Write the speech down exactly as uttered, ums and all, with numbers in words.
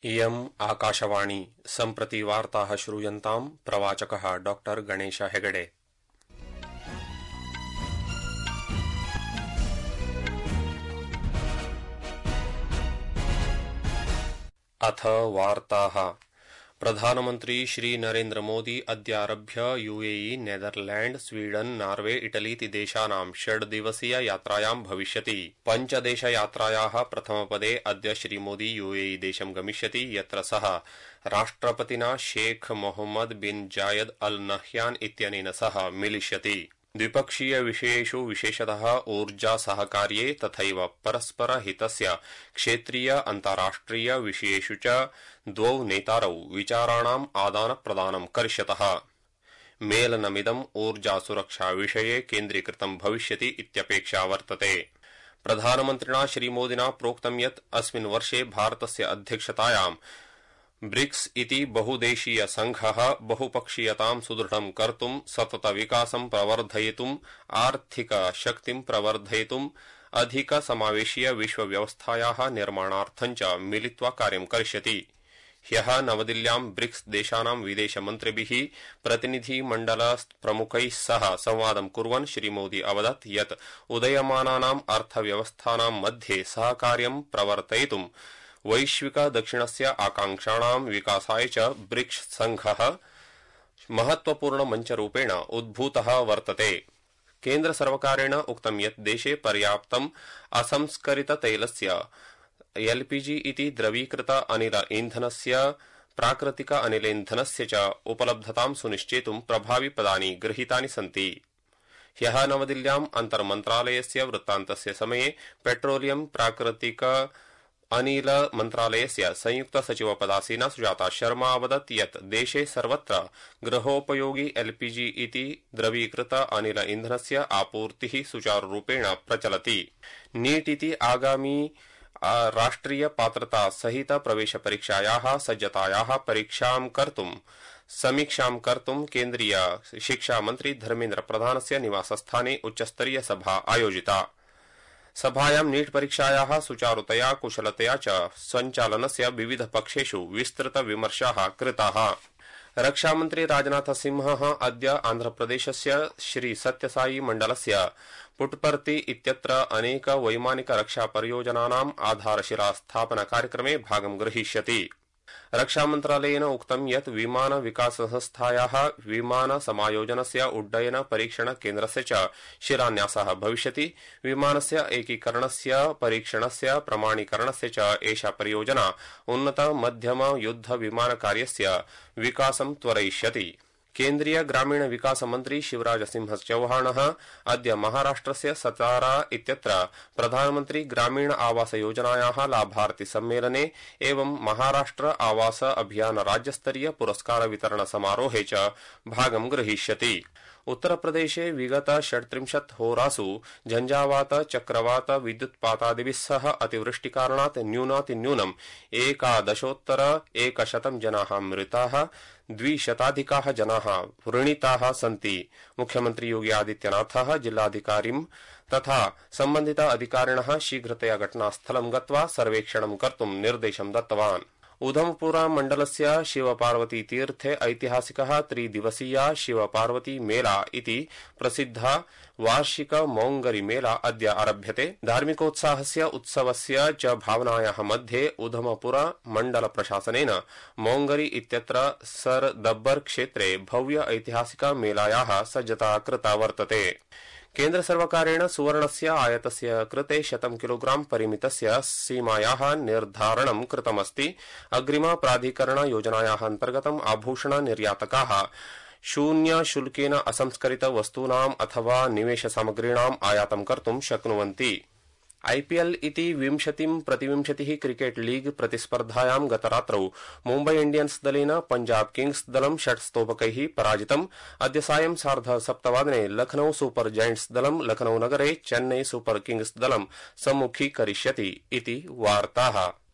इयम् आकाशवाणी सम्प्रति वार्ताः श्रूयन्ताम् प्रवाचकः डॉक्टर गणेश हेगडे। अथ वार्ताः। प्रधानमन्त्री श्री नरेन्द्र मोदी अद्यारभ्य यूएई, नेदरलैंड, स्वीडन, नार्वे, इटलीति देशानां षड्दिवसीय यात्रायां भविष्यति। पञ्चदेशयात्रायाः प्रथमपदे अद्य श्रीमोदी यूएई देशं गमिष्यति, यत्र सः राष्ट्रपतिना शेख मोहम्मद बिन जायद अल नह्यान इत्यनेन सह मिलिष्यति। द्विपक्षीय विषयेषु विशेषतः ऊर्जा सहकार्ये तथैव परस्पर हितस्य क्षेत्रीय अन्ताराष्ट्रिय विषयेषु च द्वौ नेतारौ विचाराणाम् आदानप्रदानं करिष्यतः। मेलनमिदम् ऊर्जा सुरक्षा विषये केन्द्रीकृतं भविष्यति इत्यपेक्षा वर्तते। प्रधानमन्त्रिणा श्रीमोदिना प्रोक्तं यत् अस्मिन् वर्षे भारतस्य अध्यक्षतायां ब्रिक्स इति बहुदेशीय संघः बहुपक्षीयतां सुदृढं कर्तुं, सतत विकासं प्रवर्धयितुं, आर्थिक शक्तिं प्रवर्धयितुं, अधिक समावेशीय विश्वव्यवस्थायाः निर्माणार्थं च मिलित्वा कार्यं करिष्यति। ह्यः नवदिल्ल्यां ब्रिक्स देशानां विदेशमन्त्रिभिः प्रतिनिधिमण्डल प्रमुखैः सह संवादं कुर्वन् श्रीमोदी अवदत् यत् उदयमानानाम् अर्थव्यवस्थानां मध्ये सहकार्यं प्रवर्तयितुं वैश्विक दक्षिणस्य आकांक्षाणां विकासाय च ब्रिक्स संघः महत्वपूर्ण मञ्चरूपेण उद्भूतः वर्तते। केन्द्र सर्वकारेण उक्तं यत् देशे पर्याप्तम् असंस्करित तैलस्य एलपीजी इति द्रवीकृत अनिल ईन्धनस्य प्राकृतिक अनिलेन्धनस्य च उपलब्धतां सुनिश्चेतुं प्रभाविपदानि गृहीतानि सन्ति। ह्यः नवदिल्ल्याम् अन्तर्मन्त्रालयस्य वृत्तान्तस्य समये पेट्रोलियम प्राकृतिक अनिल मन्त्रालयस्य संयुक्त सचिव पदासीना सुजाता शर्मा अवदत् यत् देशे सर्वत्र गृहोपयोगी एलपीजी इति द्रवीकृत अनिल ईन्धनस्य आपूर्तिः सुचारुरूपेण प्रचलति। नीट इति आगामी राष्ट्रिय पात्रता सहित प्रवेश परीक्षायाः सज्जतायाः परीक्षां कर्तुं समीक्षां कर्तुं केन्द्रीय शिक्षा मन्त्री धर्मेन्द्र प्रधानस्य निवासस्थाने उच्चस्तरीय सभा आयोजिता। सभायां नीट परीक्षायाः सुचारुतया कुशलतया च सञ्चालनस्य विविध पक्षेषु विस्तृत विमर्शाः कृताः। रक्षामन्त्री राजनाथ सिंहः अद्य आन्ध्रप्रदेशस्य श्री सत्यसाई मण्डलस्य पुट्पर्ति इत्यत्र अनेक वैमानिक रक्षा परियोजनानाम् आधारशिला स्थापन कार्यक्रमे भागं ग्रहीष्यति। रक्षामन्त्रालयेन उक्तं यत् विमान विकास संस्थायाः विमान समायोजनस्य उड्डयन परीक्षण केन्द्रस्य च शिलान्यासः भविष्यति। विमानस्य एकीकरणस्य परीक्षणस्य प्रमाणीकरणस्य च एषा परियोजना उन्नत मध्यम युद्ध विमान कार्यस्य विकासं त्वरयिष्यति। केन्द्रीय ग्रामीण विकास मंत्री शिवराज सिंह चौहानः अद्य महाराष्ट्रस्य सतारा इत्यत्र प्रधानमंत्री ग्रामीण आवास योजनायाः लाभार्थी सम्मेलने एवं महाराष्ट्र आवास अभियान राज्यस्तरीय पुरस्कार वितरण समारोहे च भागं ग्रहीष्यति। उत्तरप्रदेशे विगत षट्त्रिंशत् होरासु झंझावात, चक्रवात, विद्युत्पातादिभिः सह अतिवृष्टिकारणात् न्यूनातिन्यूनम् एकादशोत्तर एकशतं जनाः मृताः, द्विशताधिकाः जनाः व्रणिताः सन्ति। मुख्यमंत्री योगी आदित्यनाथः जिल्लाधिकारिं तथा सम्बन्धित अधिकारिणः शीघ्रतया घटनास्थलं गत्वा सर्वेक्षणं कर्तुं निर्देशं दत्तवान्। उधमपुरा मण्डलस्य शिवपार्वती तीर्थे ऐतिहासिकः त्रिदिवसीया शिवपार्वती मेला इति प्रसिद्धा वार्षिक मौङ्गरी मेला अद्य आरभ्यते। धार्मिकोत्साहस्य उत्सवस्य च भावनायाः मध्ये उधमपुरा मण्डल प्रशासनेन मौङ्गरी इत्यत्र सर दब्बर क्षेत्रे भव्य ऐतिहासिक मेलायाः सज्जता कृता वर्तते। केन्द्र सर्वकारेण सुवर्णस्य आयातस्य कृते शतं किलोग्राम परिमितस्य सीमायाः निर्धारणं कृतमस्ति। अग्रिम प्राधिकरण योजनायाः अन्तर्गतम् आभूषण निर्यातकाः शून्य शुल्केन असंस्करित वस्तूनाम् अथवा निवेश सामग्रीणाम् आयातं कर्तुं शक्नुवन्ति। आईपीएल इति विंशतिं प्रतिविंशतिः क्रिकेट लीग प्रतिस्पर्धायां गतरात्रौ मुम्बै इंडियन्स दलेन पंजाब किंग्स दलं षट् स्तोभकैः पराजितम्। अद्य सायं सार्ध सप्तवादने लखनऊ सुपर जायंट्स दलं लखनऊ नगरे चेन्नई सुपर किंग्स दलं सम्मुखीकरिष्यति इति वार्ताः।